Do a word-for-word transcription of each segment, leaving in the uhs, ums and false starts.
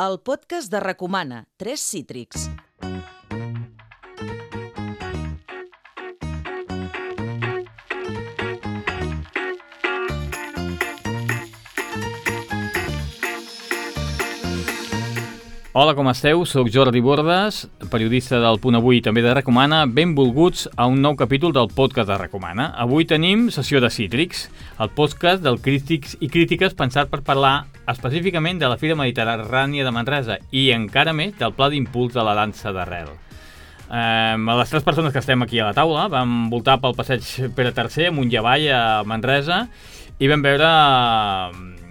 el podcast de Recomana, Tres Cítrics. Hola, com esteu? Soc Jordi Bordes, periodista del Punt Avui i també de Recomana. Benvolguts a un nou capítol del podcast de Recomana. Avui tenim sessió de Cítrics, el podcast del Crítics i Crítiques pensat per parlar específicament de la Fira Mediterrània de Manresa i encara més del Pla d'Impuls de la dansa d'arrel. Eh, les tres persones que estem aquí a la taula vam voltar pel passeig Pere tercer amunt i avall a Manresa i vam veure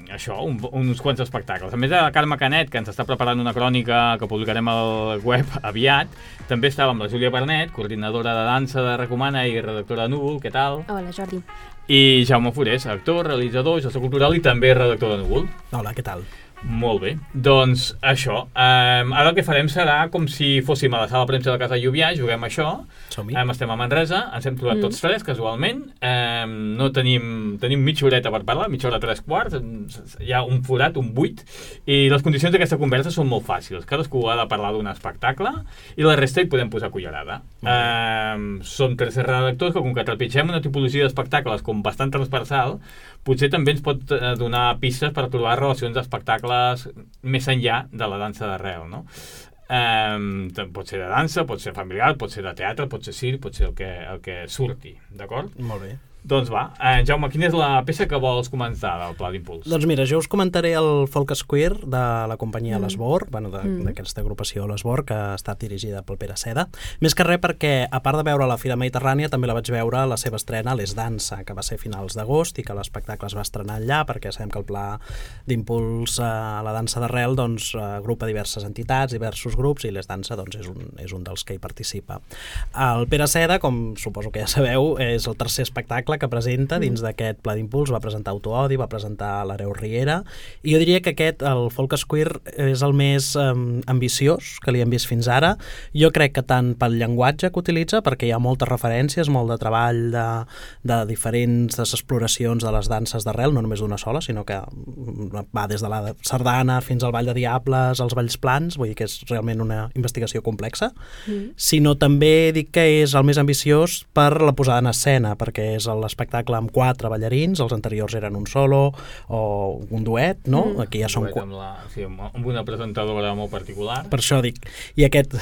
això, un, uns quants espectacles. A més de la Carme Canet, que ens està preparant una crònica que publicarem al web aviat, també estava amb la Júlia Bernet, coordinadora de dansa de Recomana i redactora de Núvol. Què tal? Hola, Jordi. I Jaume Forés, actor, realitzador, gestor cultural i també redactor de Núvol. Hola, què tal? Molt bé. Doncs això. Um, ara el que farem serà com si fóssim a la sala de premsa de Casa Lluvià, juguem això. Som-hi. Um, estem a Manresa, ens hem trobat mm. tots tres, casualment. Um, no tenim, tenim mitja horeta per parlar, mitja hora tres quarts, hi ha un forat, un buit, i les condicions d'aquesta conversa són molt fàcils. Cadascú ha de parlar d'un espectacle i la resta hi podem posar cullerada. Um, som tres redactors que, com que trepitgem una tipologia d'espectacles com bastant transversal, potser també ens pot donar pistes per trobar relacions d'espectacles més enllà de la dansa d'arrel, no? Um, pot ser de dansa, pot ser familiar, pot ser de teatre, pot ser circ, pot ser el que, el que surti, d'acord? Molt bé. Doncs va, eh, Jaume, quina és la peça que vols començar del Pla d'Impuls? Doncs mira, jo us comentaré el Folk Square de la companyia mm. L'Esbor, bueno, d'aquesta mm. agrupació L'Esbor, que ha estat dirigida pel Pere Seda. Més que res perquè, a part de veure la Fira Mediterrània, també la vaig veure a la seva estrena a l'Es Dansa, que va ser a finals d'agost i que l'espectacle es va estrenar allà, perquè sabem que el Pla d'Impuls a la dansa d'arrel doncs, agrupa diverses entitats, diversos grups, i l'Es Dansa doncs, és, un, és un dels que hi participa. El Pere Seda, com suposo que ja sabeu, és el tercer espectacle que presenta dins d'aquest Pla d'Impuls. Va presentar Autoodi, va presentar l'Hereu Riera, i jo diria que aquest, el Folk Square, és el més um, ambiciós que li hem vist fins ara. Jo crec que tant pel llenguatge que utilitza, perquè hi ha moltes referències, molt de treball de, de diferents des exploracions de les danses d'arrel, no només d'una sola, sinó que va des de la sardana fins al ball de diables, als balls plans, vull dir que és realment una investigació complexa, mm. sinó també dic que és el més ambiciós per la posada en escena, perquè és l'espectacle amb quatre ballarins, els anteriors eren un solo o un duet, no? Mm. Aquí ja són... Un duet amb, la, sí, amb una presentadora molt particular. Per això dic. I aquest...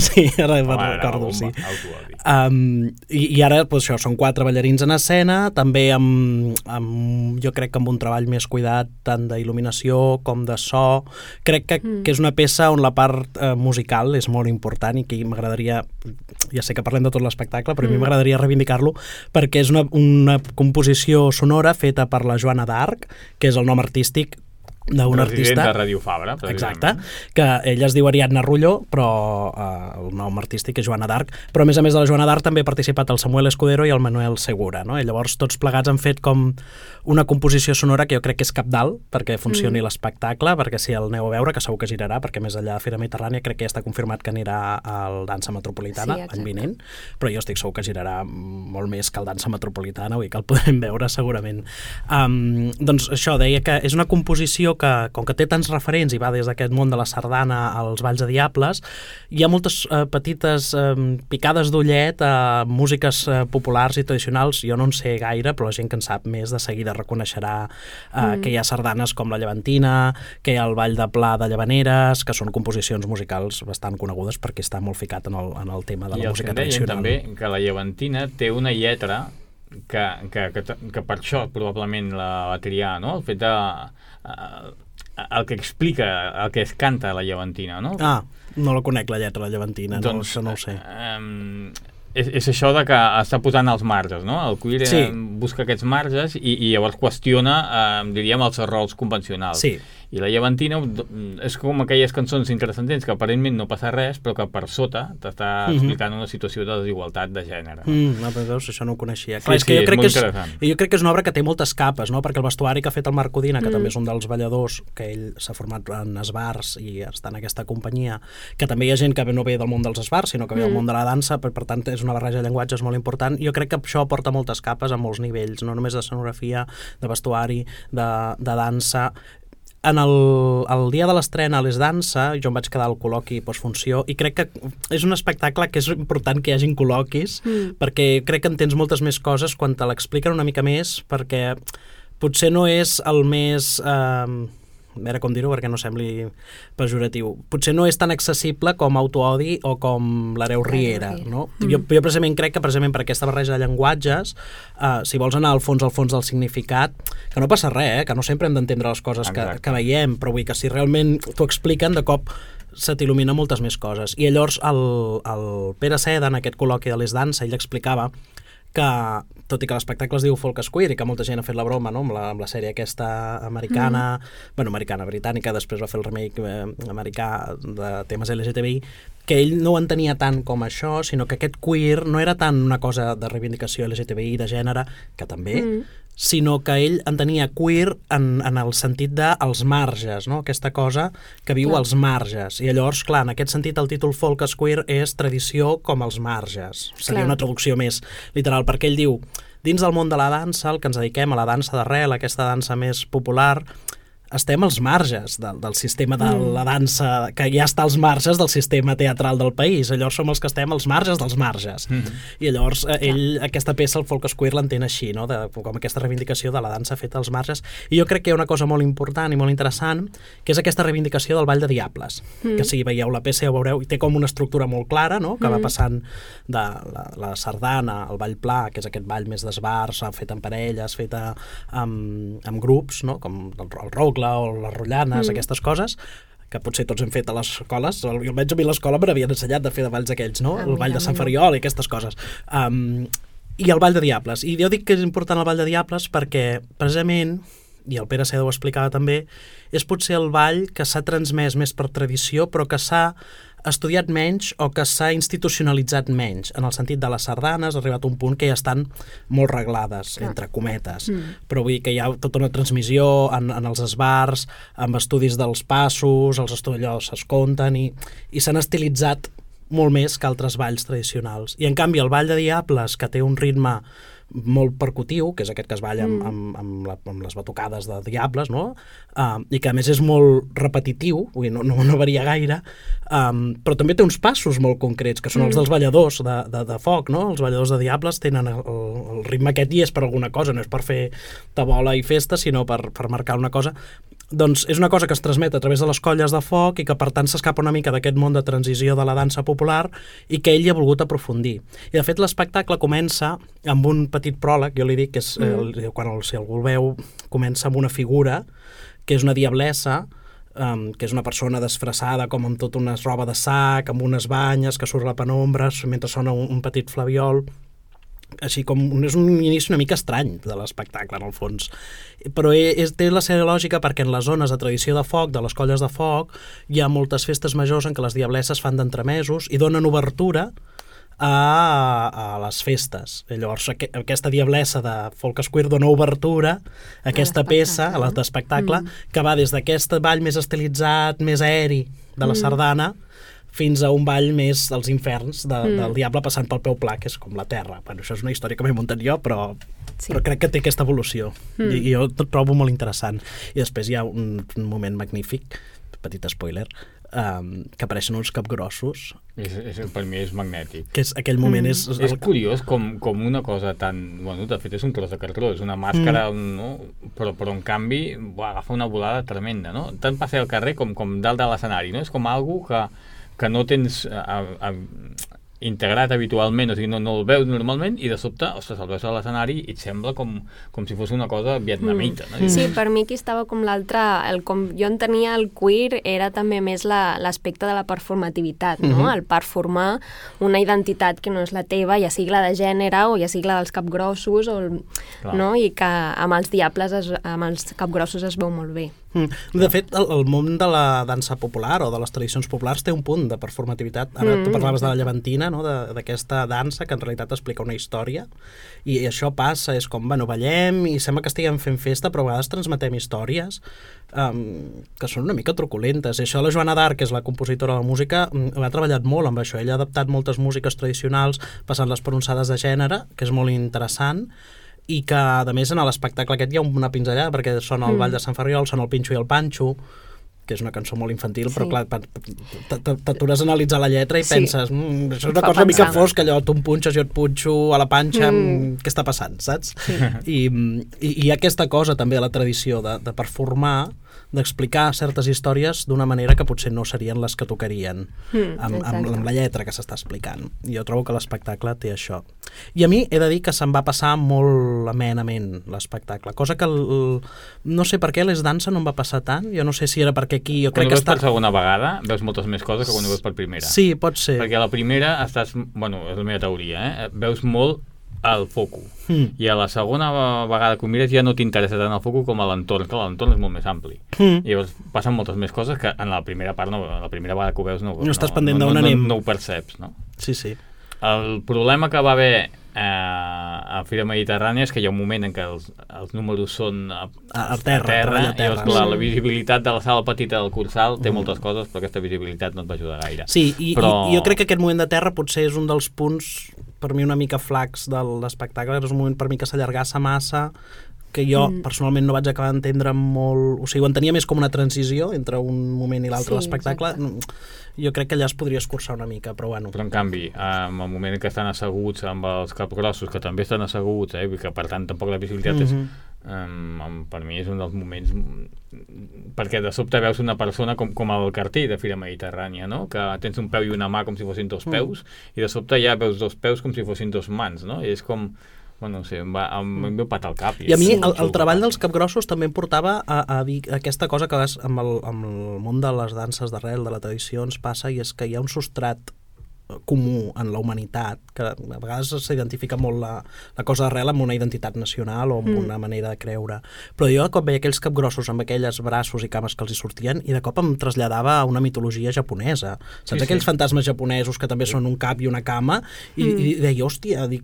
sí, ara me'n recordo, sí. Um, i, I ara, doncs això, són quatre ballarins en escena, també amb, amb, jo crec que amb un treball més cuidat, tant d'il·luminació com de so. Crec que, mm. que és una peça on la part uh, musical és molt important i que m'agradaria, ja sé que parlem de tot l'espectacle, però mm. a mi m'agradaria reivindicar-lo perquè és una, una composició sonora feta per la Joana d'Arc, que és el nom artístic d'un artista... Resident de Ràdio Fabra. Exacte, que ella es diu Ariadna Rulló, però eh, el nom artístic és Joana d'Arc, però a més a més de la Joana d'Arc també ha participat el Samuel Escudero i el Manuel Segura, no? I llavors tots plegats han fet com una composició sonora que jo crec que és cabdal perquè funcioni mm. l'espectacle, perquè si el aneu a veure, que segur que girarà, perquè més enllà de Fira Mediterrània crec que ja està confirmat que anirà al Dansa Metropolitana sí, l'any vinent, però jo estic segur que girarà molt més que el Dansa Metropolitana, vull dir que el podrem veure segurament. Um, doncs això, deia que és una composició que, com que té tants referents i va des d'aquest món de la sardana als balls de diables, hi ha moltes eh, petites eh, picades d'ullet a músiques eh, populars i tradicionals. Jo no en sé gaire, però la gent que en sap més de seguida reconeixerà eh, mm. que hi ha sardanes com la Llevantina, que hi ha el Ball de Pla de Llavaneres, que són composicions musicals bastant conegudes perquè està molt ficat en el, en el tema de I la música tradicional. I també que la Llevantina té una lletra que, que, que, que per això probablement la va triar, no? El fet de... Uh, el que explica, el que es canta a la Llevantina, no? Ah, no la conec, la lletra de la Llevantina, doncs, no, no ho sé. Um, és, és això de que està posant els marges, no? El queer sí. busca aquests marges i, i llavors qüestiona, eh, diríem, els rols convencionals. Sí. I la Llevantina és com aquelles cançons interessantents que aparentment no passa res, però que per sota t'està mm-hmm. explicant una situació de desigualtat de gènere. Mm, no, però veus, això no ho coneixia. Clar, sí, és que sí, jo crec que és, és jo crec que és una obra que té moltes capes, no? Perquè el vestuari que ha fet el Marc Codina, que mm. també és un dels balladors, que ell s'ha format en esbars i està en aquesta companyia, que també hi ha gent que no ve del món dels esbars, sinó que ve mm. del món de la dansa, per, per tant és una barreja de llenguatges molt important. Jo crec que això aporta moltes capes a molts nivells, no només de escenografia, de vestuari, de, de dansa. en el, el dia de l'estrena a Les Dansa, jo em vaig quedar al col·loqui postfunció i crec que és un espectacle que és important que hi hagin col·loquis mm. perquè crec que entens moltes més coses quan te l'expliquen una mica més, perquè potser no és el més... Eh, a veure com dir-ho perquè no sembli pejoratiu. Potser no és tan accessible com Autoodi o com l'Hereu Riera, no? Mm. Jo, jo precisament crec que precisament per aquesta barreja de llenguatges, uh, si vols anar al fons al fons del significat, que no passa res, eh? Que no sempre hem d'entendre les coses que, que veiem, però vull que si realment t'ho expliquen, de cop se t'il·lumina moltes més coses. I llavors el, el Pere Seda, en aquest col·loqui de Les Dansa, ell explicava que, tot i que l'espectacle es diu Folk Square i que molta gent ha fet la broma, no?, amb, la, amb la sèrie aquesta americana, mm. bueno, americana, britànica, després va fer el remake eh, americà de temes L G T B I, que ell no ho entenia tant com això, sinó que aquest queer no era tant una cosa de reivindicació L G T B I, de gènere, que també, mm. sinó que ell entenia queer en, en el sentit dels marges, no?, aquesta cosa que viu clar. Als marges. I llavors, clar, en aquest sentit el títol Folk Square és tradició com els marges. Seria clar. Una traducció més literal, perquè ell diu, dins del món de la dansa, el que ens dediquem a la dansa d'arrel, aquesta dansa més popular, estem als marges del, del sistema de mm. la dansa, que ja està als marges del sistema teatral del país. Llavors som els que estem als marges dels marges. Mm. I llavors ell, aquesta peça, el Folk Square, l'entén així, no?, de, com aquesta reivindicació de la dansa feta als marges. I jo crec que hi ha una cosa molt important i molt interessant, que és aquesta reivindicació del Ball de Diables. Mm. Que si veieu la peça ja ho veureu, i té com una estructura molt clara, no?, que mm. va passant de la, la sardana, el ball pla, que és aquest ball més d'esbars, fet en parelles, fet amb, amb grups, no?, com el, el rock, o les rotllanes, mm. aquestes coses, que potser tots hem fet a les escoles. Almenys a mi a l'escola me n'havien ensenyat de fer de balls aquells, no? El ball de Sant Ferriol i aquestes coses. Um, I el Ball de Diables. I jo dic que és important el Ball de Diables perquè, precisament, i el Pere Seda ho explicava també, és potser el ball que s'ha transmès més per tradició, però que s'ha estudiat menys o que s'ha institucionalitzat menys, en el sentit de les sardanes ha arribat a un punt que ja estan molt reglades, ah. entre cometes, mm. però vull dir que hi ha tota una transmissió en, en els esbars, amb estudis dels passos, els estudis es compten i, i s'han estilitzat molt més que altres balls tradicionals. I en canvi el Ball de Diables, que té un ritme molt percutiu, que és aquest que es balla amb, amb, amb, la, amb les batucades de diables, no? Uh, i que a més és molt repetitiu, vull dir, no, no, no varia gaire, um, però també té uns passos molt concrets, que són els dels balladors de, de, de foc, no? Els balladors de diables tenen el, el ritme aquest i és per alguna cosa, no és per fer tabola i festa, sinó per, per marcar una cosa. Doncs és una cosa que es transmet a través de les colles de foc i que per tant s'escapa una mica d'aquest món de transició de la dansa popular i que ell hi ha volgut aprofundir. I de fet l'espectacle comença amb un petit pròleg, jo li dic que és, mm. eh, quan el, si algú el veu, comença amb una figura que és una diablessa, um, que és una persona disfressada com amb tota una roba de sac, amb unes banyes que surt a la penombra mentre sona un, un petit flabiol. Així com és un inici una mica estrany de l'espectacle en el fons, però és, té la seva lògica perquè en les zones de tradició de foc, de les colles de foc, hi ha moltes festes majors en què les diablesses fan d'entremesos i donen obertura a, a les festes. I llavors aqu aquesta diablessa de Folk Square dona obertura a aquesta a peça, a l'espectacle, mm. que va des d'aquest ball més estilitzat, més aeri de la mm. sardana, fins a un ball més dels inferns de, mm. del diable passant pel peu pla, que és com la terra. Bueno, això és una història que m'he muntat jo, però, sí. però crec que té aquesta evolució. Mm. I, I jo tot trobo molt interessant. I després hi ha un, un moment magnífic, petit spoiler, um, que apareixen uns capgrossos. És, és, per mi és magnètic. Que és, aquell moment mm. és... És curiós com, com una cosa tan... Bueno, de fet és un tros de cartró, és una màscara, mm. no? però, però en canvi buah, agafa una volada tremenda, no? Tant passeig al carrer com, com dalt de l'escenari, no? És com algo que que no tens a, a, integrat habitualment, o sigui, no, no el veus normalment i de sobte, ostres, el veus a l'escenari i et sembla com, com si fos una cosa vietnamita. Mm. No? Sí, per mi aquí estava com l'altre, com jo entenia el queer era també més l'aspecte la, de la performativitat, no? Mm-hmm. El performar una identitat que no és la teva, ja sigui la de gènere o ja sigui la dels capgrossos, o el, no? I que amb els diables, es, amb els capgrossos es veu molt bé. Mm. De fet, el, el món de la dansa popular o de les tradicions populars té un punt de performativitat. Ara mm. tu parlaves de la llevantina, no? D'aquesta dansa que en realitat explica una història i això passa, és com, bueno, ballem i sembla que estiguem fent festa, però a vegades transmetem històries um, que són una mica truculentes. I això la Joana d'Arc, que és la compositora de la música, ha treballat molt amb això. Ella ha adaptat moltes músiques tradicionals passant-les per unsades de gènere, que és molt interessant. i que, a més, en l'espectacle aquest hi ha una pinzellada, perquè sona el Mm. Ball de Sant Ferriol, sona el Pinxo i el Panxo, que és una cançó molt infantil, però Sí. clar, pa- t- t- t'atures a analitzar la lletra i Sí. penses, mm, això és una Fa cosa una mica pensar. fosca, allò, tu em punxes, jo et punxo a la panxa, Mm. mm. què està passant, saps? I, i, i hi ha aquesta cosa també a la tradició de, de performar, d'explicar certes històries d'una manera que potser no serien les que tocarien Mm, amb, amb, exacte. amb la lletra que s'està explicant. I jo trobo que l'espectacle té això. I a mi he de dir que se'm va passar molt amenament l'espectacle, cosa que el, el, no sé per què les dansa no em va passar tant, jo no sé si era perquè aquí jo Quan crec ho que veus està... per segona vegada, veus moltes més coses que quan ho veus per primera. Sí, pot ser. Perquè a la primera estàs, bueno, és la meva teoria, eh? Veus molt al foco. Mm. I a la segona vegada que ho mires ja no t'interessa tant el foco com a l'entorn, que l'entorn és molt més ampli. Mm. I llavors passen moltes més coses que en la primera part, no, la primera vegada que ho veus no, No estàs pendent no, d'on no, anem. no, no ho perceps, no? Sí, sí. El problema que va haver eh, a Fira Mediterrània és que hi ha un moment en què els, els números són a, A- a terra, treball a i terra. llavors, clar, Sí. la visibilitat de la sala petita del Cursal té moltes coses, però aquesta visibilitat no et va ajudar gaire. Sí, i, Però- i jo crec que aquest moment de terra potser és un dels punts per mi una mica flacs de l'espectacle, és un moment per mi que s'allargassa massa, que jo mm. personalment no vaig acabar d'entendre molt, o sigui, ho entenia més com una transició entre un moment i l'altre Sí, de l'espectacle. exacte. Jo crec que allà es podria escurçar una mica, però bueno. Però en canvi, en el moment en què estan asseguts amb els capgrossos, que també estan asseguts, eh, i que per tant tampoc la visibilitat mm -hmm. és, um, um, per mi és un dels moments, perquè de sobte veus una persona com, com el cartell de Fira Mediterrània, no? Que tens un peu i una mà com si fossin dos peus, mm. i de sobte ja veus dos peus com si fossin dos mans, no? I és com, bueno, no sé, em, va, em, em veu patar el cap. I a mi és el, el treball que dels capgrossos també em portava a, a dir aquesta cosa que vas, amb, el, amb el món de les danses d'arrel, de la tradició, ens passa, i és que hi ha un substrat comú en la humanitat, que a vegades s'identifica molt la, la cosa d'arrel amb una identitat nacional o amb mm. una manera de creure. Però jo de cop veia aquells capgrossos amb aquelles braços i cames que els hi sortien i de cop em traslladava a una mitologia japonesa. Saps? Sí, Aquells sí. fantasmes japonesos que també sí. són un cap i una cama i, mm. i deia, hòstia, dic,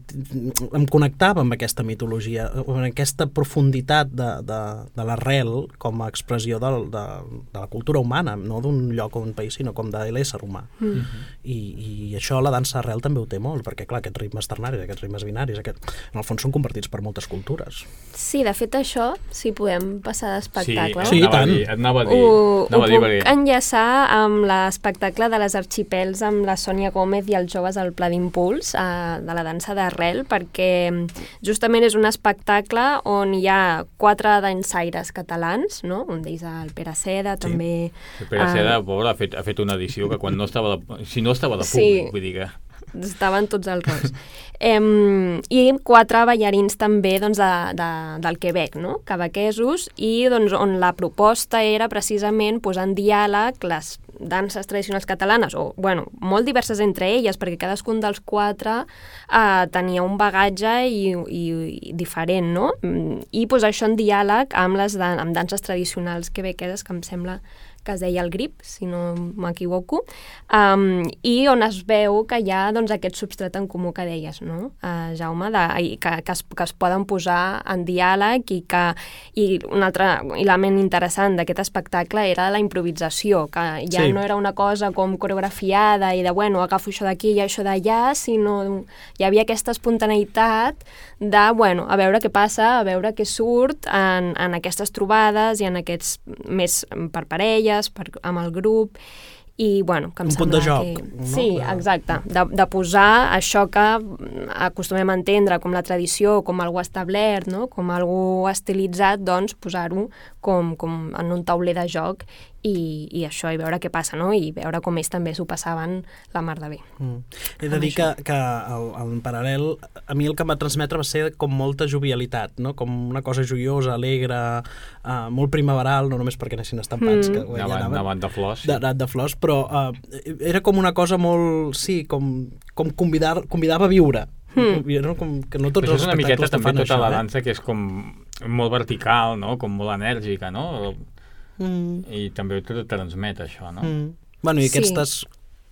em connectava amb aquesta mitologia, amb aquesta profunditat de, de, de l'arrel com a expressió de, de, de la cultura humana, no d'un lloc o d'un país, sinó com de l'ésser humà. Mm. I, i I això la dansa arrel també ho té molt, perquè clar, aquests ritmes ternaris, aquests ritmes binaris, aquest, en el fons són compartits per moltes cultures. Sí, de fet això, si podem passar d'espectacle. Sí, et anava tant. a dir, et anava a dir, Ho, ho anava a dir puc perquè... enllaçar amb l'espectacle de les Arxipels amb la Sònia Gómez i els joves al Pla d'Impuls eh, de la dansa d'arrel, perquè justament és un espectacle on hi ha quatre dansaires catalans, no? Un d'ells el Pere Seda, sí. també... El Pere Seda, eh, pobre, ha fet, ha fet una edició que quan no estava de, si no estava de Sí. públic, vull dir que... Estaven tots als rols. Em, I quatre ballarins també doncs, de, de, del Quebec, no? Quebequesos, i doncs, on la proposta era precisament posar en diàleg les danses tradicionals catalanes, o bueno, molt diverses entre elles, perquè cadascun dels quatre eh, tenia un bagatge i, i, i diferent, no? I posar això en diàleg amb les dan amb danses tradicionals quebequeses, que em sembla que es deia el grip, si no m'equivoco, um, i on es veu que hi ha doncs, aquest substrat en comú que deies, no? Uh, Jaume, de, i que, que, es, que es poden posar en diàleg i que i un altre element interessant d'aquest espectacle era la improvisació, que ja Sí. no era una cosa com coreografiada i de, bueno, agafo això d'aquí i això d'allà, sinó hi havia aquesta espontaneïtat de, bueno, a veure què passa, a veure què surt en, en aquestes trobades i en aquests més per parelles, per, amb el grup, i bueno, que em Un punt sembla de joc, que... no? Sí, exacte, de, de posar això que acostumem a entendre com la tradició, com algú establert, no? Com algú estilitzat, doncs posar-ho com, com en un tauler de joc i, i això, i veure què passa, no? I veure com ells també s'ho passaven la mar de bé. Mm. He de dir que, que el, en paral·lel, a mi el que em va transmetre va ser com molta jovialitat, no? Com una cosa joiosa, alegre, uh, molt primaveral, no només perquè anessin estampats, Mm. que ja Anaven, anaven, anaven de flors. Sí. de, de flors, però uh, era com una cosa molt, sí, com, com convidar, convidava a viure. Mm. No? Com, que no tots Però els això és una miqueta espectacles també fan tota això, la eh? dansa que és com molt vertical, no? Com molt enèrgica, no? Mm. I també tot transmet això, no? Mm. Bueno, i Sí. aquestes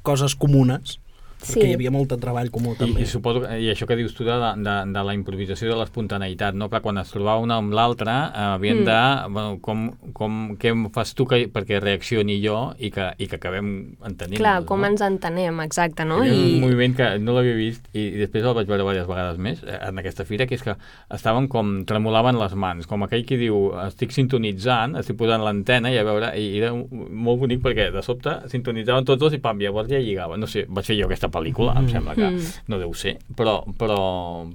coses comunes Sí. Perquè hi havia molt de treball comú també. I, i suposo, i això que dius tu de, de, de la improvisació, de l'espontaneïtat, no? Que quan es trobava una amb l'altra eh, havien mm. de... Bueno, com, com, què em fas tu que, perquè reaccioni jo i que, i que acabem entenent. Clar, com no? ens entenem, exacte, no? Hi havia I... un moviment que no l'havia vist i, i després el vaig veure diverses vegades més en aquesta fira, que és que estaven com tremolaven les mans, com aquell que diu estic sintonitzant, estic posant l'antena i a veure, i era molt bonic perquè de sobte sintonitzaven tots dos i pam, llavors ja lligaven. No sé, vaig fer jo aquesta pel·lícula, em sembla que mm. no deu ser, però... però,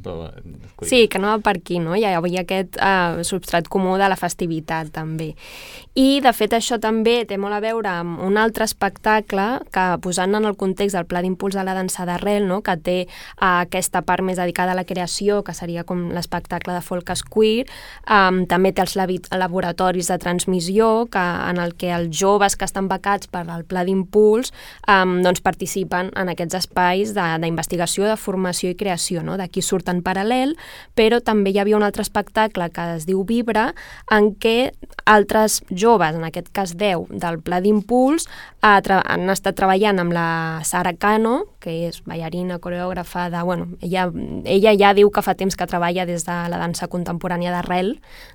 però sí, que anava per aquí, no? Hi havia aquest uh, substrat comú de la festivitat, també. I, de fet, això també té molt a veure amb un altre espectacle que, posant en el context del Pla d'Impuls de la dansa d'arrel, no? Que té uh, aquesta part més dedicada a la creació, que seria com l'espectacle de folk queer, um, també té els laboratoris de transmissió, que, en el que els joves que estan becats per al Pla d'Impuls um, doncs participen en aquests espais d'investigació, de, de formació i creació, no? D'aquí surt en paral·lel, però també hi havia un altre espectacle que es diu Vibra, en què altres joves, en aquest cas deu, del Pla d'Impuls, han estat treballant amb la Sara Cano, que és ballarina, coreògrafa, de, bueno, ella, ella ja diu que fa temps que treballa des de la dansa contemporània d'arrel,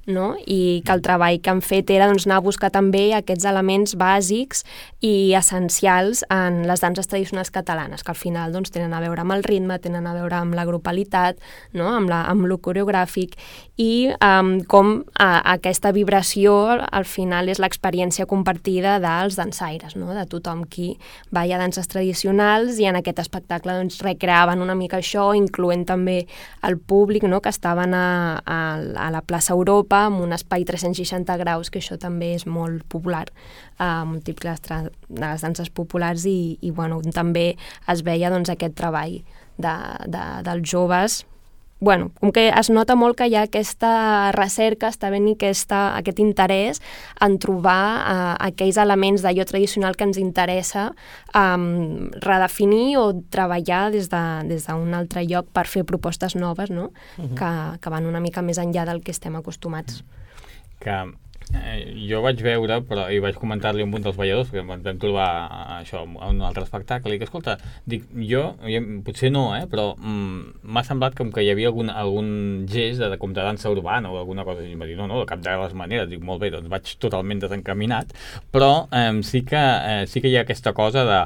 no? I que el treball que han fet era doncs, anar a buscar també aquests elements bàsics i essencials en les danses tradicionals catalanes, que al final doncs, tenen a veure amb el ritme, tenen a veure amb la grupalitat, no? amb, la, amb lo coreogràfic, i um, com a, aquesta vibració al final és l'experiència compartida dels dansaires, no? De tothom qui balla danses tradicionals, i en aquest espectacle doncs, recreaven una mica això, incloent també el públic, no? Que estaven a, a, a la plaça Europa, amb un espai tres-cents seixanta graus, que això també és molt popular, uh, múltiples de les danses populars, i, i bueno, també es veia doncs, aquest treball de, de, dels joves. Bueno, com que es nota molt que hi ha aquesta recerca, està ben i aquesta, aquest interès en trobar uh, aquells elements d'allò tradicional que ens interessa um, redefinir o treballar des de, des d'un altre lloc per fer propostes noves, no? Uh-huh. que, que van una mica més enllà del que estem acostumats. Que eh, jo vaig veure, però i vaig comentar-li a un dels balladors, perquè ens vam trobar això a un altre espectacle, i que, escolta, dic, jo, potser no, eh, però mm, m'ha semblat com que hi havia algun, algun gest de, com de dansa urbana o alguna cosa, i em va dir, no, no, de cap de les maneres, dic, molt bé, doncs vaig totalment desencaminat, però eh, sí, que, eh, sí que hi ha aquesta cosa de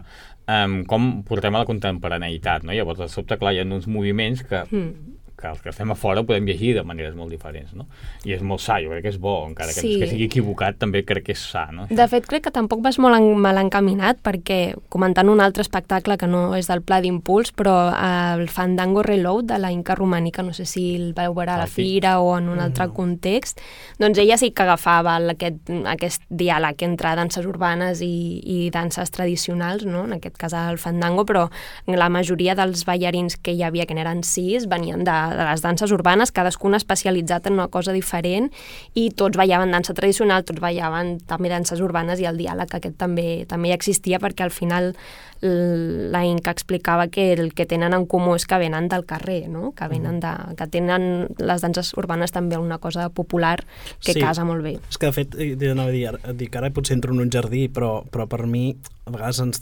eh, com portem a la contemporaneïtat, no? Llavors, de sobte, clar, hi ha uns moviments que... Mm. que els que estem a fora podem llegir de maneres molt diferents, no? I és molt sa, jo crec que és bo, encara que, sí. que sigui equivocat, també crec que és sa, no? De fet, crec que tampoc vas molt en, mal encaminat, perquè, comentant un altre espectacle que no és del Pla d'Impuls, però el Fandango Reload de la Inca Romànica, no sé si el vau veure a la fira o en un altre no. context, doncs ella sí que agafava aquest, aquest diàleg entre danses urbanes i, i danses tradicionals, no? En aquest cas el Fandango, però la majoria dels ballarins que hi havia, que n'eren sis, venien de de les danses urbanes, cadascuna especialitzat en una cosa diferent, i tots ballaven dansa tradicional, tots ballaven també danses urbanes, i el diàleg aquest també, també existia, perquè al final la Inca explicava que el que tenen en comú és que venen del carrer, no? Que venen de, que tenen les danses urbanes també una cosa popular que sí. casa molt bé. És que de fet, anava a dir, dic, ara potser entro en un jardí, però, però per mi a vegades ens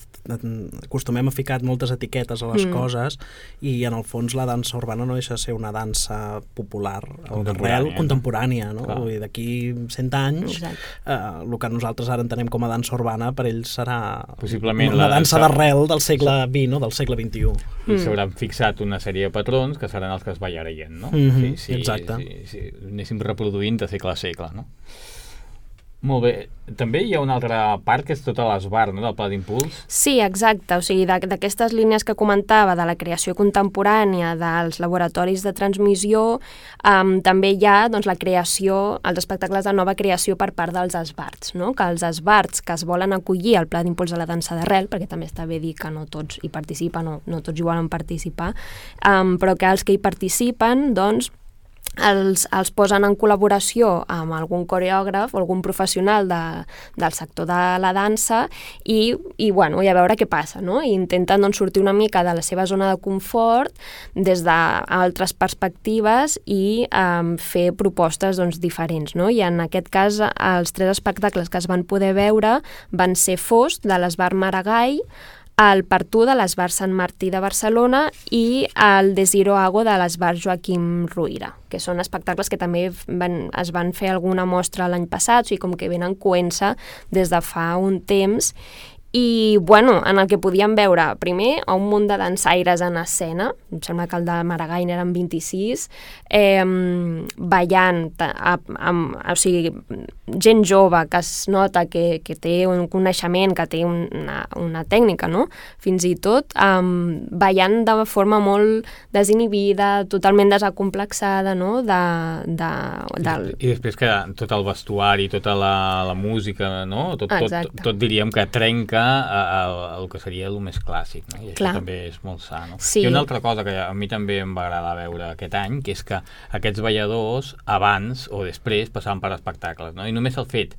acostumem a ficar moltes etiquetes a les mm. coses, i en el fons la dansa urbana no deixa de ser una dansa popular d'arrel contemporània, no? Vull dir, d'aquí cent anys eh, el que nosaltres ara entenem com a dansa urbana per ells serà possiblement una dansa d'arrel del segle vint, no? Del segle vint-i-u. I s'hauran fixat una sèrie de patrons que seran els que es ballarien, no? Mm-hmm, sí, sí, exacte. Sí, sí, anéssim reproduint de segle a segle, no? Molt bé. També hi ha una altra part que és tota l'esbar, no?, del Pla d'Impuls. Sí, exacte. O sigui, d'aquestes línies que comentava, de la creació contemporània, dels laboratoris de transmissió, um, també hi ha doncs, la creació, els espectacles de nova creació per part dels esbarts, no? Que els esbarts que es volen acollir al Pla d'Impuls de la dansa d'arrel, perquè també està bé dir que no tots hi participen o no tots hi volen participar, um, però que els que hi participen, doncs, Els, els posen en col·laboració amb algun coreògraf o algun professional de, del sector de la dansa, i, i, bueno, i a veure què passa, no? I intenten doncs, sortir una mica de la seva zona de confort des d'altres perspectives i um, fer propostes doncs, diferents, no? I en aquest cas els tres espectacles que es van poder veure van ser Fost, de l'Esbar Maragall, el Partú de l'Esbar Sant Martí de Barcelona i el Desiro Hago de l'Esbar Joaquim Ruïra, que són espectacles que també van, es van fer alguna mostra l'any passat, o sigui, com que venen coent-se des de fa un temps. I, bueno, en el que podíem veure, primer, un munt de dansaires en escena, em sembla que el de Maragall eren vint-i-sis, eh, ballant, a, a, o sigui, gent jove que es nota que, que té un coneixement, que té una, una tècnica, no?, fins i tot, eh, ballant de forma molt desinhibida, totalment desacomplexada, no?, de, de, del... I després que tot el vestuari, tota la, la música, no?, tot, tot, tot diríem que trenca el que seria el més clàssic, no? I això Clar. També és molt sa, no? Sí. I una altra cosa que a mi també em va agradar veure aquest any, que és que aquests balladors abans o després passaven per espectacles, no? I només el fet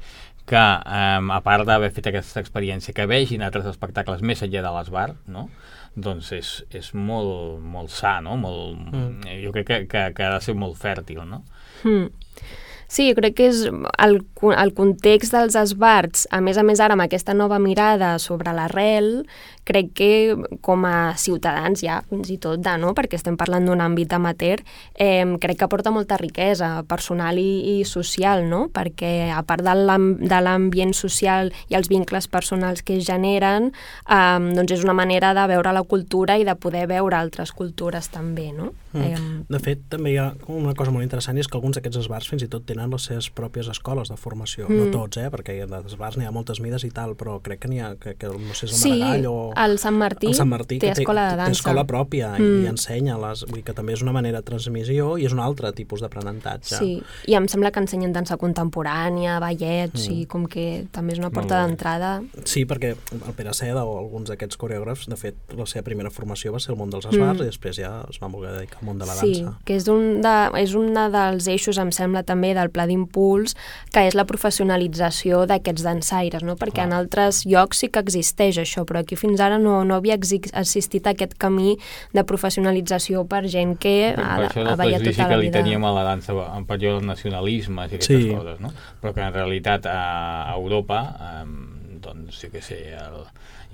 que, um, a part d'haver fet aquesta experiència, que vegin altres espectacles més enllà de l'Esbar, no?, doncs és, és molt, molt sa, no? Molt, mm. Jo crec que, que, que ha de ser molt fèrtil, no? Mm. Sí, jo crec que és el, el context dels esbarts, a més a més ara amb aquesta nova mirada sobre l'arrel, crec que com a ciutadans ja, fins i tot, de, no? Perquè estem parlant d'un àmbit amateur, eh, crec que aporta molta riquesa personal i, i social, no? Perquè a part de l'ambient social i els vincles personals que es generen, eh, doncs és una manera de veure la cultura i de poder veure altres cultures també, no? Mm. Eh, de fet, també hi ha una cosa molt interessant, i és que alguns d'aquests esbarts fins i tot tenen les seves pròpies escoles de formació. Mm. No tots, eh? Perquè d'esbarts n'hi ha moltes mides i tal, però crec que n'hi ha, que, que no sé, és el Maragall o... el Sant Martí, el Sant Martí té escola de dansa. Té escola pròpia mm. i ensenya, les, vull dir que també és una manera de transmissió i és un altre tipus d'aprenentatge. Sí, i em sembla que ensenyen dansa contemporània, ballet, mm. o sigui, com que també és una porta d'entrada. Sí, perquè el Pere Seda o alguns d'aquests coreògrafs, de fet, la seva primera formació va ser el món dels esbarts mm. i després ja es van voler dedicar al món de la dansa. Sí, que és un, de, és un dels eixos, em sembla, també del Pla d'Impuls, que és la professionalització d'aquests dansaires, no? Perquè ah. en altres llocs sí que existeix això, però aquí fins ara no, no havia assistit a aquest camí de professionalització per gent que ha, per això ha ballat tota la que li vida. Teníem a la dansa en període del nacionalisme i aquestes sí. coses, no? Però que en realitat a Europa, eh, doncs, sí que sé, el,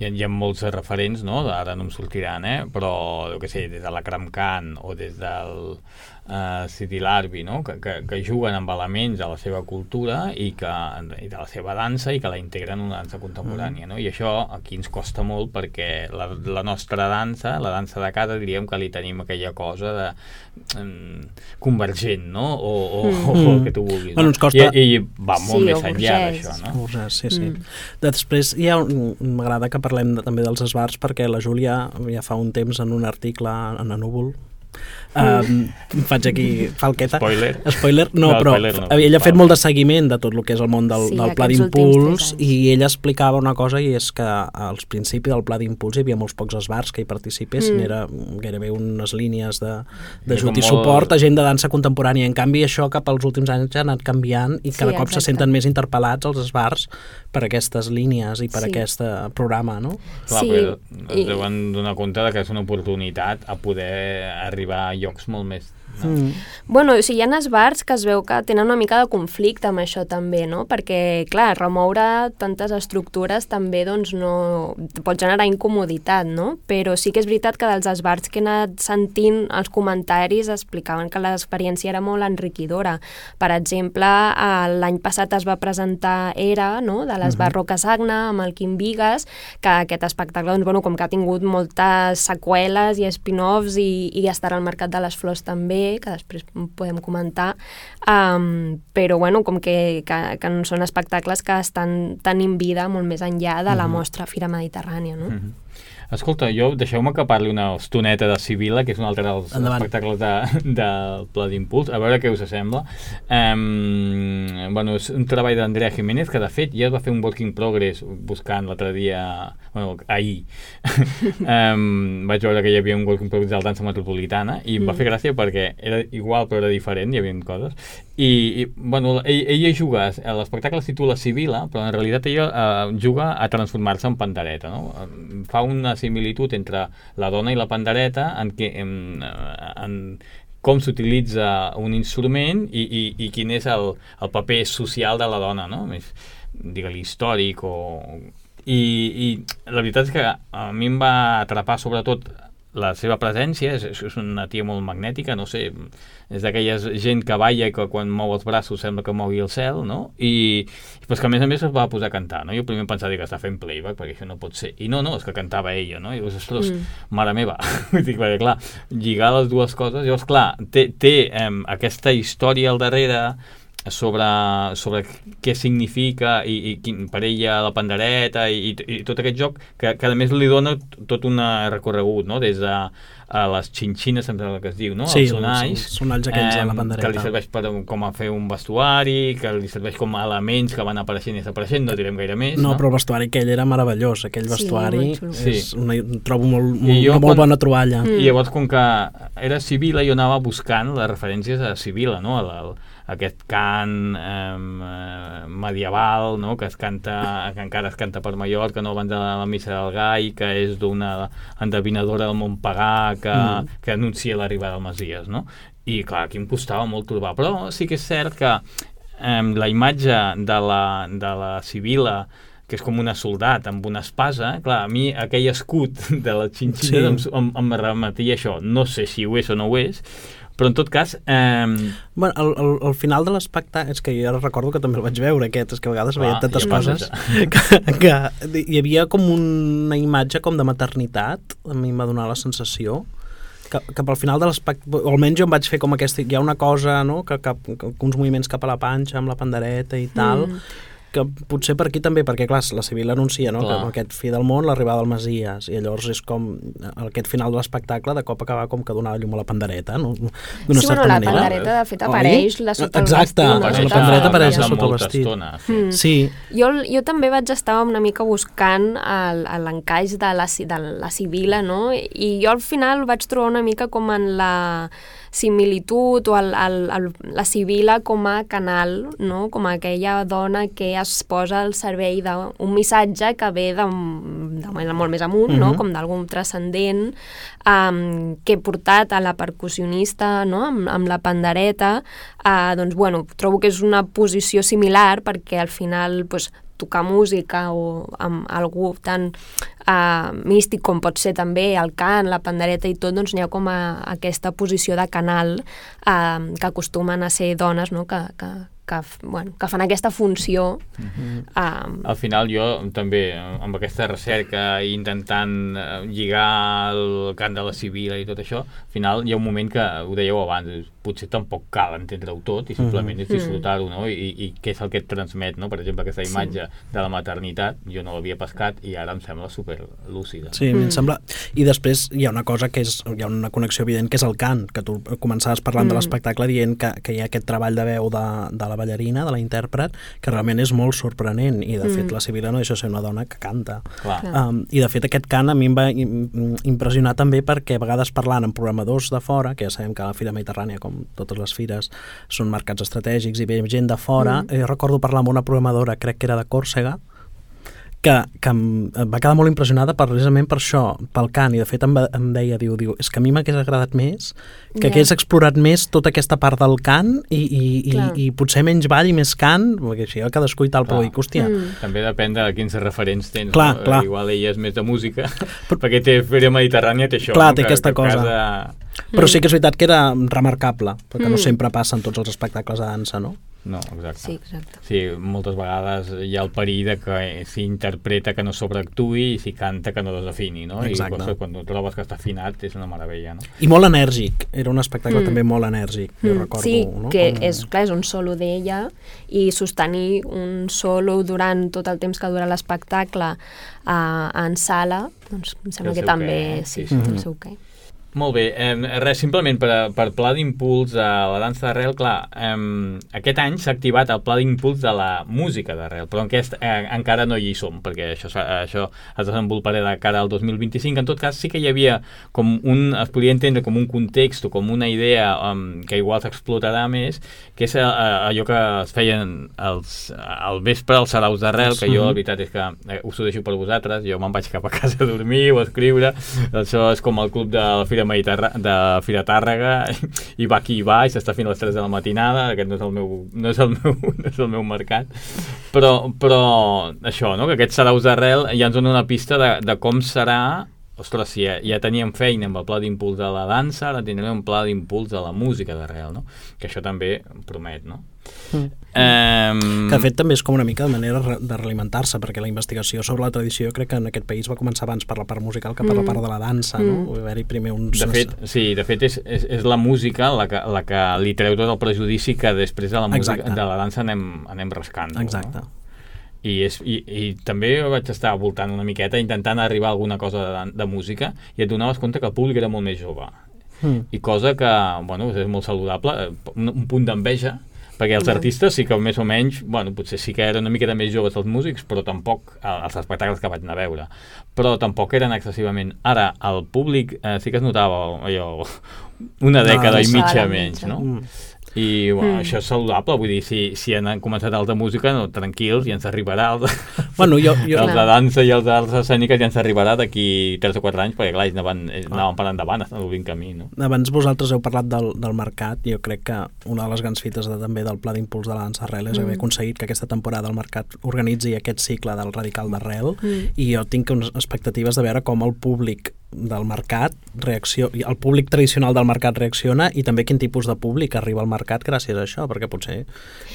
hi, ha, hi ha molts referents, no? Ara no em sortiran, eh? Però, jo què sé, des de la Kramkan o des del Uh, City Larbi, no? que, que, que juguen amb elements de la seva cultura i, que, i de la seva dansa i que la integren en una dansa contemporània, no? I això aquí ens costa molt perquè la, la nostra dansa, la dansa de casa, diríem que li tenim aquella cosa de um, convergent, no? O, o, mm. o, o el que tu vulguis. Bueno, no? costa... I, I va molt sí, més enllà d'això, no? Burgès, sí, sí. Mm. Després hi ha un, m'agrada que parlem de, també dels esbarts perquè la Júlia ja fa un temps en un article en a Núvol Um, faig aquí falqueta spoiler, spoiler no, no però spoiler no. Ella ha fet molt de seguiment de tot el que és el món del, sí, del Pla d'Impuls i ella explicava una cosa, i és que als principis del Pla d'Impuls hi havia molts pocs esbarts que hi participessin, mm. era gairebé unes línies d'ajut i suport a gent de dansa contemporània. En canvi això cap als últims anys ha anat canviant i cada sí, cop se senten més interpel·lats els esbarts per aquestes línies i per sí. aquest programa, no? Clar, sí. Però es deuen donar compte que és una oportunitat a poder arribar a llocs molt més... No? Mm. Bueno, o sigui, hi ha esbarts que es veu que tenen una mica de conflicte amb això també, no? Perquè, clar, remoure tantes estructures també, doncs, no... pot generar incomoditat, no? Però sí que és veritat que dels esbarts que he anat sentint els comentaris explicaven que l'experiència era molt enriquidora. Per exemple, l'any passat es va presentar Era, no?, de l'Esbart uh-huh. Roca Sagna, amb el Quim Vigues, que aquest espectacle, doncs, bueno, com que ha tingut moltes seqüeles i spin-offs i, i estarà al Mercat de les Flors també, que després podem comentar, um, però bueno, com que, que, que són espectacles que estan tenint vida molt més enllà de la mostra Fira Mediterrània, no? Mm-hmm. Escolta, jo deixeu-me que parli una estoneta de Sibila, que és un altre dels Endavant. espectacles de, del Pla d'Impuls, a veure què us sembla. Um, bueno, és un treball d'Andrea Jiménez, que de fet ja va fer un work in progress buscant l'altre dia, bueno, ahir. um, vaig veure que hi havia un work in progress de la dansa metropolitana i em mm. va fer gràcia perquè era igual però era diferent, hi havia coses. I, i bueno, ell, ella juga, l'espectacle es titula Sibila, però en realitat ella uh, juga a transformar-se en pandereta, no? Fa una similitud entre la dona i la pandereta en, que, en, en com s'utilitza un instrument i, i, i quin és el, el paper social de la dona, no? Més, digue-li, històric o... I, i la la veritat és que a mi em va atrapar sobretot la seva presència, és, és una tia molt magnètica, no sé, és d'aquelles gent que balla i que quan mou els braços sembla que mogui el cel, no? I pues que a més a més es va posar a cantar, no? Jo primer em pensava que està fent playback, perquè això no pot ser. I no, no, és que cantava ella, no? I dius, ostres, mm. mare meva. Dic, perquè clar, lligar les dues coses, llavors clar, té, té eh, aquesta història al darrere sobre, sobre què significa i, i quin, per ella la pandereta i, i, i tot aquest joc que, que a més li dona tot un recorregut, no? Des de a les xinxines, sempre el que es diu, no? Sí, els sonalls, els sonalls aquells de la pandereta. Que li serveix per, com a fer un vestuari, que li serveix com a elements que van apareixent i desapareixent, no direm gaire més. No, no? Però el vestuari aquell era meravellós, aquell sí, vestuari sí. és una, trobo molt, molt, jo, una molt quan, bona troballa. I llavors, com que era Sibila, jo anava buscant les referències a Sibila, no? A la, aquest cant eh, medieval, no? Que es canta, que encara es canta per Mallorca, no? Abans de la missa del Gai, que és d'una endevinadora del món pagà que, mm. que anuncia l'arribada del Messies, no? I clar, aquí em costava molt trobar, però sí que és cert que eh, la imatge de la, de la Sibila, que és com una soldat amb una espasa, clar, a mi aquell escut de la xinxina sí. em, em, em remetia això, no sé si ho és o no ho és, però en tot cas... Eh... Bueno, al, al, al final de l'espectacle, és que jo ara recordo que també el vaig veure aquest, és que a vegades veia tantes coses que, que hi havia com una imatge com de maternitat, a mi em va donar la sensació que, que pel final de l'espectacle, almenys jo em vaig fer com aquesta, hi ha una cosa, no?, que, que, que uns moviments cap a la panxa amb la pandereta i tal, mm. que potser per aquí també, perquè clar, la Sibila anuncia, no?, que amb aquest fi del món l'arribada del Messies, i llavors és com aquest final de l'espectacle de cop acaba com que donava llum a la pandereta, no? D'una sí, certa bueno, la manera. pandereta de fet apareix la sota el Exacte, vestit. la pandereta apareix a sota el vestit. Estona, sí. Mm. sí. Jo, jo també vaig estar una mica buscant l'encaix de, la, de la Sibila, no?, i jo al final vaig trobar una mica com en la similitud o el, el, el, la Sibila com a canal, no?, com aquella dona que es posa al servei d'un missatge que ve de, de molt més amunt, mm-hmm. no?, com d'algun transcendent, um, que he portat a la percussionista, no?, amb, amb la pandereta, uh, doncs, bueno, trobo que és una posició similar perquè al final, pues, tocar música o amb algú tan uh, místic com pot ser també el cant, la pandereta i tot, doncs n'hi ha com a, aquesta posició de canal uh, que acostumen a ser dones, no?, que, que, que, bueno, que fan aquesta funció. Mm-hmm. um... Al final jo també, amb aquesta recerca i intentant lligar el cant de la Sibila i tot això, al final hi ha un moment que, ho dèieu abans, potser tampoc cal entendre-ho tot i simplement mm-hmm. és disfrutar-ho, no? I, i què és el que et transmet, no? Per exemple, aquesta imatge sí. de la maternitat, jo no l'havia pescat i ara em sembla super lúcida. Sí, mm. em sembla... I després hi ha una cosa que és, hi ha una connexió evident, que és el cant, que tu començaves parlant mm. de l'espectacle dient que, que hi ha aquest treball de veu de, de la ballarina, de la intèrpret, que realment és molt sorprenent, i de mm. fet la Sibila no deixa de ser una dona que canta. Um, I de fet aquest cant a mi em va impressionar també perquè a vegades parlant amb programadors de fora, que ja sabem que a la Fira Mediterrània, com totes les fires, són mercats estratègics i ve gent de fora, mm. eh, recordo parlar amb una programadora, crec que era de Còrsega, que, que em va quedar molt impressionada precisament per això, pel cant, i de fet em, va, em deia, diu, diu, és que a mi m'hagués agradat més, que yeah. hagués explorat més tota aquesta part del cant i, i, i, i potser menys ball i més cant, perquè així cadascú i tal, clar. Però dic, hòstia... Mm. També depèn de quins referents tens, clar, no? Clar. Igual ella és més de música, perquè té Fira Mediterrània, té això. Clar, no? té que, aquesta que cosa. Cada... Però sí que és veritat que era remarcable, perquè mm. no sempre passa en tots els espectacles de dansa, no? No, exacte. Sí, exacte. Sí, moltes vegades hi ha el perill de que s'hi interpreta que no sobreactuï i s'hi canta que no desafini, no? Exacte. I quan tu trobes que està afinat és una meravella, no? I molt enèrgic, era un espectacle mm. també molt enèrgic, jo mm. recordo. Sí, no? que Com... és, clar, és un solo d'ella i sostenir un solo durant tot el temps que dura l'espectacle uh, en sala, doncs em sembla que també què, sí, sí, sí. el seu què. Molt bé, eh, res, simplement per, per pla d'impuls a la dansa d'arrel, clar, eh, aquest any s'ha activat el pla d'impuls de la música d'arrel, però aquest, eh, encara no hi som, perquè això, això es desenvoluparà de cara al dos mil vint-i-cinc. En tot cas, sí que hi havia com un, es podria entendre com un context o com una idea um, que igual s'explotarà més, que és uh, allò que es feien els, al vespre als saraus d'arrel, que jo la veritat és que eh, us ho deixo per vosaltres, jo me'n vaig cap a casa a dormir o a escriure, això és com el club de la Fira Fira Mediterrà... de Fira Tàrrega i va aquí i va i s'està fent a les tres de la matinada, aquest no és el meu, no és el meu, no és el meu mercat, però, però això, no? Que aquests saraus d'arrel ja ens donen una pista de, de com serà. Ostres, si ja, ja teníem feina amb el pla d'impuls de la dansa, ara tindrem un pla d'impuls de la música d'arrel, no? Que això també promet, no? Mm. Um... Que de fet també és com una mica de manera de realimentar-se, perquè la investigació sobre la tradició crec que en aquest país va començar abans per la part musical que per mm. la part de la dansa, mm. no? Va haver-hi primer uns... De fet, sí, de fet és, és, és la música la que, la que li treu tot el prejudici que després de la música, Exacte. de la dansa anem, anem rascant. Exacte. No? I, és, i, i també vaig estar voltant una miqueta intentant arribar a alguna cosa de, de música i et donaves compte que el públic era molt més jove mm. i cosa que, bueno, és molt saludable, un, un punt d'enveja, perquè els artistes sí que més o menys, bueno, potser sí que eren una miqueta més joves els músics, però tampoc els espectacles que vaig anar a veure, però tampoc eren excessivament. Ara, el públic eh, sí que es notava allò, una dècada no, i mitja menys, no? Mm. I bueno, mm. això és saludable, vull dir, si, si han començat els de música, no, tranquils, ja ens arribarà els, bueno, jo, jo, els de dansa i els d'arts escèniques ja ens arribarà d'aquí tres o quatre anys, perquè clar, anaven, anaven per endavant, estan obrint camí, no? Abans vosaltres heu parlat del, del mercat, jo crec que una de les grans fites de, també del pla d'impuls de la dansa arrel és mm. haver aconseguit que aquesta temporada el mercat organitzi aquest cicle del radical d'arrel mm. i jo tinc unes expectatives de veure com el públic del mercat reacciona, el públic tradicional del mercat reacciona i també quin tipus de públic arriba al mercat gràcies a això, perquè potser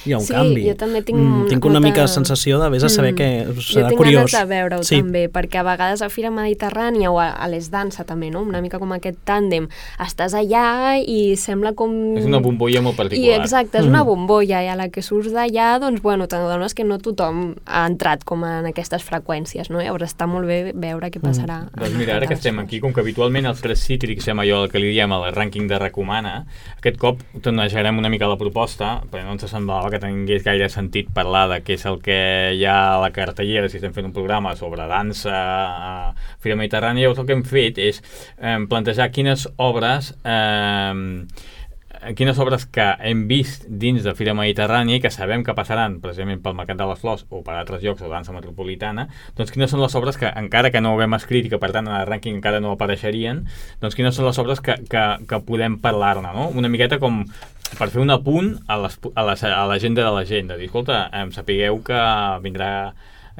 hi ha un sí, canvi. Sí, jo també tinc, mm, tinc una molta... mica sensació de vés a saber mm. que serà curiós. Jo tinc curiós. ganes de veure-ho sí. també, perquè a vegades a Fira Mediterrània o a, a les dansa també, no? Una mica com aquest tàndem. Estàs allà i sembla com... És una bombolla molt particular. I exacte, és mm. una bombolla i a la que surts d'allà, doncs bueno, t'adones que no tothom ha entrat com en aquestes freqüències, no? Llavors està molt bé veure què passarà. Mm. Doncs mira, ara que estem aquí, com que habitualment els tres cítrics fem allò que li diem el rànquing de recomana, aquest cop tornejarem una mica la proposta, perquè no ens semblava que tingués gaire sentit parlar de què és el que hi ha a la cartellera si estem fent un programa sobre dansa a Fira Mediterrània. Llavors el que hem fet és eh, plantejar quines obres eh, quines obres que hem vist dins de Fira Mediterrània i que sabem que passaran precisament pel Mercat de les Flors o per altres llocs o dansa metropolitana, doncs quines són les obres que, encara que no ho haguem escrit i que per tant en el rànquing encara no apareixerien, doncs quines són les obres que, que, que podem parlar-ne, no? Una miqueta com per fer un apunt a, les, a, les, a l'agenda de la gent, de dir, escolta, eh, sapigueu que vindrà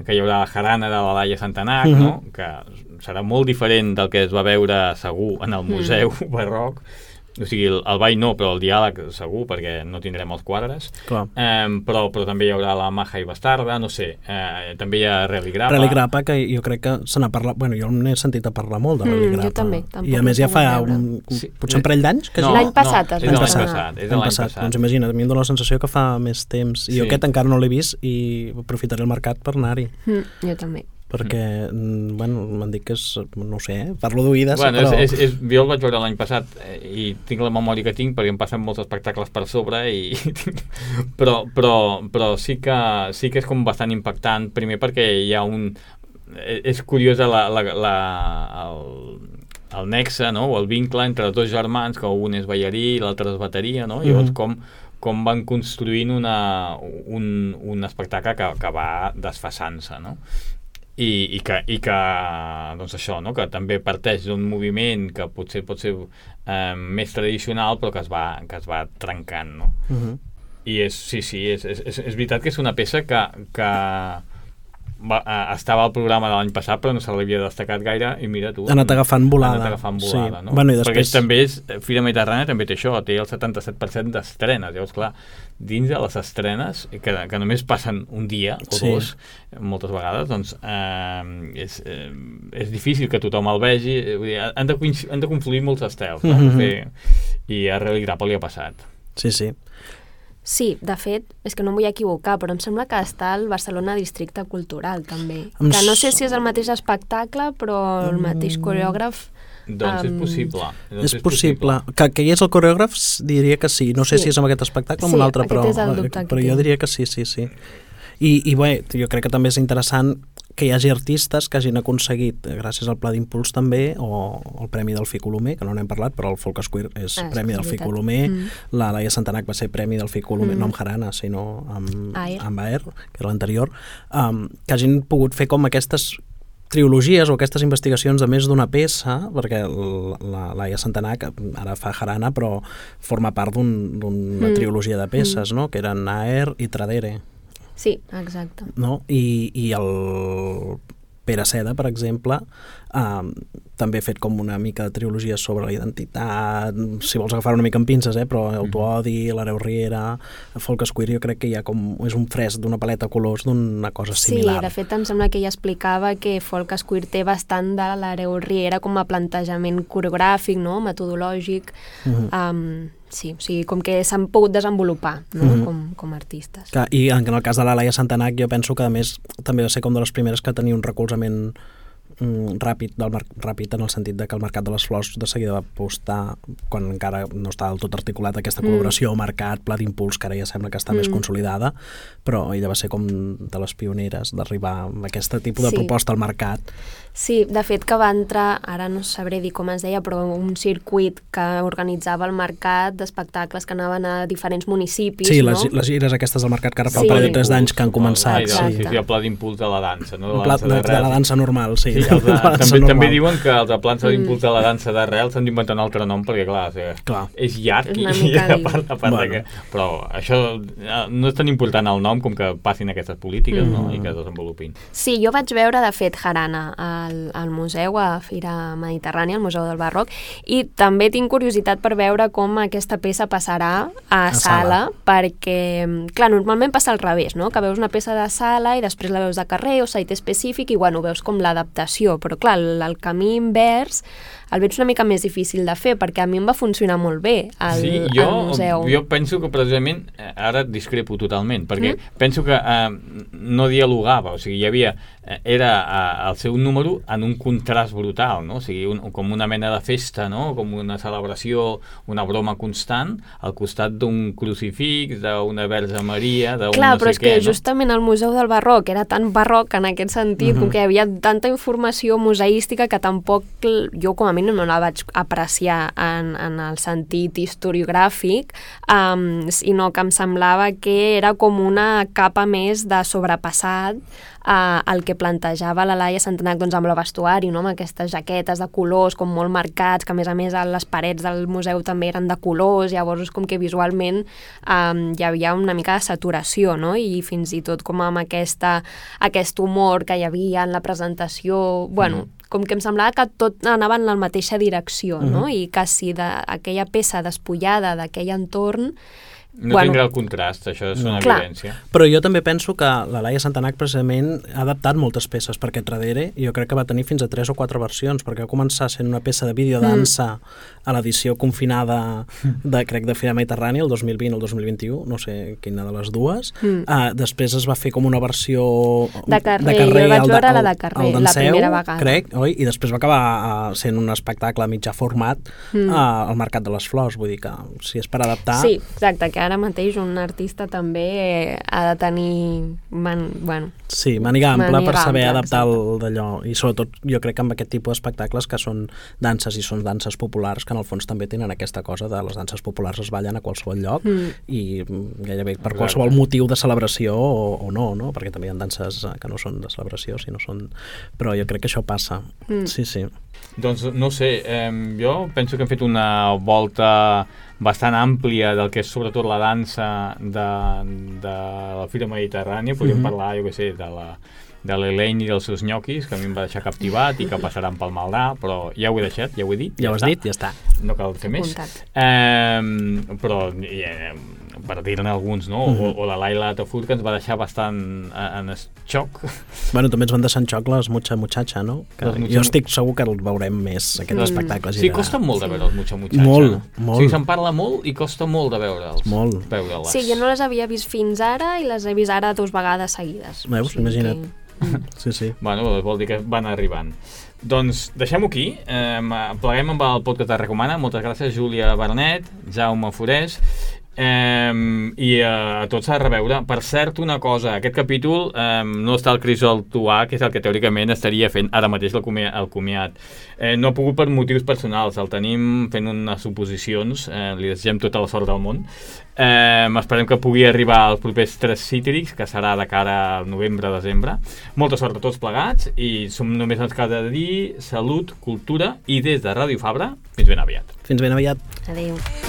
que hi haurà la jarana de la Laia Santanac, mm-hmm. no? Que serà molt diferent del que es va veure segur en el Museu mm. Barroc. O sigui, el, el ball no, però el diàleg segur, perquè no tindrem els quadres. Eh, però, però també hi haurà la Maja i Bastarda, no sé, eh, també hi ha Religrapa. Religrapa, que jo crec que se n'ha parlat, bueno, jo n'he sentit a parlar molt de Religrapa. Mm, jo també. I a més ja fa un, sí. potser un parell d'anys? Que no, l'any passat no, es va va passat. passat. És l'any passat. passat. Doncs imagina't, a mi em dóna la sensació que fa més temps. I sí. jo aquest encara no l'he vist i aprofitaré el mercat per anar-hi. Mm, jo també. perquè, mm. bueno, m'han dit que és, no sé, eh? Parlo d'oïdes, bueno, però... És, és, és, jo el vaig veure l'any passat i tinc la memòria que tinc perquè em passen molts espectacles per sobre i però, però, però sí, que, sí que és com bastant impactant, primer perquè hi ha un... és curiosa la, la, la, el, el nexe, no? O el vincle entre els dos germans, que un és ballarí i l'altre és bateria, no? I llavors mm. com com van construint una, un, un espectacle que, que va desfasant-se, no? I, i, que, i que, doncs això, no? Que també parteix d'un moviment que potser pot ser eh, més tradicional, però que es va, que es va trencant, no? Uh-huh. I és, sí, sí, és, és, és, és veritat que és una peça que, que va, eh, estava al programa de l'any passat, però no se l'havia destacat gaire, i mira tu... Ha anat agafant volada. Ha anat agafant volada, sí. no? Bueno, i després... Perquè també és, Fira Mediterrània també té això, té el setanta-set per cent d'estrenes, llavors, clar, dins de les estrenes, que, que només passen un dia o sí. dos, moltes vegades, doncs eh, és, eh, és difícil que tothom el vegi, vull dir, han, de, han de confluir molts estels, no? Mm-hmm. Fer, i a Religrapa li ha passat. Sí, sí. Sí, de fet, és que no em vull equivocar, però em sembla que està al Barcelona Districte Cultural, també. Em... Que no sé si és el mateix espectacle, però el mateix coreògraf... Doncs um... és possible. Doncs és, és possible. possible. Que, que hi és el coreògraf, diria que sí. No sé sí. si és amb aquest espectacle o amb sí, un altre, però, però jo diria que sí, sí, sí. I, i bé, jo crec que també és interessant que hi hagi artistes que hagin aconseguit, gràcies al Pla d'Impuls també, o el Premi del Ficolomer, que no n'hem parlat, però el Folk Square és ah, Premi del Ficolomer, mm. la Laia Santanac va ser Premi del Ficolomer, mm. no amb Jarana, sinó amb, amb Aer, que era l'anterior, um, que hagin pogut fer com aquestes trilogies o aquestes investigacions de més d'una peça, perquè la Laia Santanac ara fa jarana, però forma part d'una un, mm. trilogia de peces, mm. no? Que eren Naer i Tradere. Sí, exacte. No? I, i el Pere Seda, per exemple, eh, també ha fet com una mica de trilogia sobre la identitat, si vols agafar una mica amb pinces, eh, però Autoodi, l'Hereu Riera, Folques Queer, jo crec que hi ha com, és un fresc d'una paleta de colors d'una cosa similar. Sí, de fet em sembla que ella explicava que Folques Queer té bastant de l'Hereu Riera com a plantejament coreogràfic, no? Metodològic, mm-hmm. um, sí, o sigui, com que s'han pogut desenvolupar, no? mm-hmm. com, com a artistes. Clar, i en el cas de la Laia Santanac jo penso que a més també va ser com de les primeres que tenia un recolzament mm, ràpid, del mar... ràpid en el sentit de que el Mercat de les Flors de seguida va apostar, quan encara no està del tot articulat aquesta col·laboració, mm. mercat, pla d'impuls, que ara ja sembla que està mm. més consolidada, però ella va ser com de les pioneres d'arribar amb aquest tipus de sí. proposta al mercat. Sí, de fet que va entrar, ara no sabré dir com es deia, però un circuit que organitzava el mercat d'espectacles que anaven a diferents municipis, sí, no? Sí, les, les gires aquestes del mercat que ara fa sí. un parell de tres d'anys que han començat. Ah, sí, sí, el pla d'impuls de la dansa, no? De la pla, dansa de, de la dansa normal, sí. sí de, de dansa també, normal. També diuen que els plans d'impuls de la dansa d'arrel s'han d'inventar un altre nom, perquè clar, o sigui, clar. és llarg i, i a part, a part bueno. de que... Però això no és tan important el nom com que passin aquestes polítiques, mm. no? I que es desenvolupin. Sí, jo vaig veure, de fet, jarana al, al museu, a Fira Mediterrània, al Museu del Barroc, i també tinc curiositat per veure com aquesta peça passarà a, a sala, sala, perquè, clar, normalment passa al revés, no? Que veus una peça de sala i després la veus de carrer o site específic i, bueno, veus com l'adaptació, però, clar, el, el camí invers el veig una mica més difícil de fer, perquè a mi em va funcionar molt bé al, sí, jo, al museu. Jo penso que precisament, ara discrepo totalment, perquè mm? penso que eh, no dialogava, o sigui, hi havia, eh, era eh, el seu número en un contrast brutal, no? O sigui, un, com una mena de festa, no? Com una celebració, una broma constant, al costat d'un crucifix, d'una Verge Maria, d'un Clar, no però sé és què, que no? justament el Museu del Barroc era tan barroc en aquest sentit, mm-hmm. com que hi havia tanta informació museística que tampoc jo com a mínim no la vaig apreciar en, en el sentit historiogràfic, um, sinó que em semblava que era com una capa més de sobrepassat uh, el que plantejava la Laia Santanac doncs, amb el vestuari, no? Amb aquestes jaquetes de colors com molt marcats, que a més a més les parets del museu també eren de colors, llavors és com que visualment um, hi havia una mica de saturació, no? I fins i tot com amb aquesta, aquest humor que hi havia en la presentació, bueno, mm. com que em semblava que tot anava en la mateixa direcció, uh-huh. no? I que si de, aquella peça despullada d'aquell entorn no bueno, tindrà el contrast, això és una clar. evidència. Però jo també penso que la Laia Santanac precisament ha adaptat moltes peces, perquè Tradere jo crec que va tenir fins a tres o quatre versions, perquè va començar sent una peça de videodansa mm. a l'edició confinada de, crec, de Fira Mediterrània, el dos mil vint o el dos mil vint-i-u, no sé quina de les dues. Mm. Uh, després es va fer com una versió de carrer, de carrer jo vaig veure la de carrer, el la primera vegada. Crec, oi? I després va acabar uh, sent un espectacle a mitjà format mm. uh, al Mercat de les Flors, vull dir que si és per adaptar... Sí, exacte, que ara mateix un artista també ha de tenir man, bueno, sí, màniga ampla per saber ampla, adaptar el d'allò, i sobretot jo crec que amb aquest tipus d'espectacles que són danses i són danses populars, que en el fons també tenen aquesta cosa de les danses populars es ballen a qualsevol lloc mm. i gairebé per qualsevol motiu de celebració o, o no, no, perquè també hi ha danses que no són de celebració, sinó són... però jo crec que això passa, mm. sí, sí. Doncs no sé, eh, jo penso que hem fet una volta bastant àmplia del que és sobretot la dansa de, de la Fira Mediterrània. Podríem mm-hmm. parlar, jo què sé, de la de l'Elaine i dels seus nyoquis, que a mi em va deixar captivat i que passaran pel Maldà, però ja ho he deixat, ja ho he dit. Ja, ja ho has està. dit, ja està. No cal fer més. Eh, però eh, per dir-ne alguns, no? Mm-hmm. O, o la Laila Tafur, que ens va deixar bastant en xoc. Bueno, també ens van deixar en xoc les Mucha Muchacha, no? Que mucha... Jo estic segur que el veurem més, aquests mm. espectacles. Sí, costa molt de veure els Mucha Muchacha. Molt, molt. O sigui, se'n parla molt i costa molt de veure'ls. Molt. Veure-les. Sí, jo no les havia vist fins ara i les he vist ara dues vegades seguides. Veus? O sigui imagina't. Que... Sí, sí. Bueno, vol dir que van arribant. Doncs deixem-ho aquí. Eh, pleguem amb el podcast de Recomana. Moltes gràcies, Júlia Bernet, Jaume Forés. Eh, I uh, a tots s'ha de reveure. Per cert, una cosa, aquest capítol eh, no està el Crisol Tuà, que és el que teòricament estaria fent ara mateix el, comi el comiat. Eh, no ha pogut per motius personals, el tenim fent unes suposicions, eh, li desitgem tota la sort del món. Eh, esperem que pugui arribar als propers tres Cítrics, que serà de cara al novembre-desembre. Molta sort a tots plegats i som només ens cal de dir salut, cultura i des de Ràdio Fabra, fins ben aviat. Fins ben aviat. Adéu.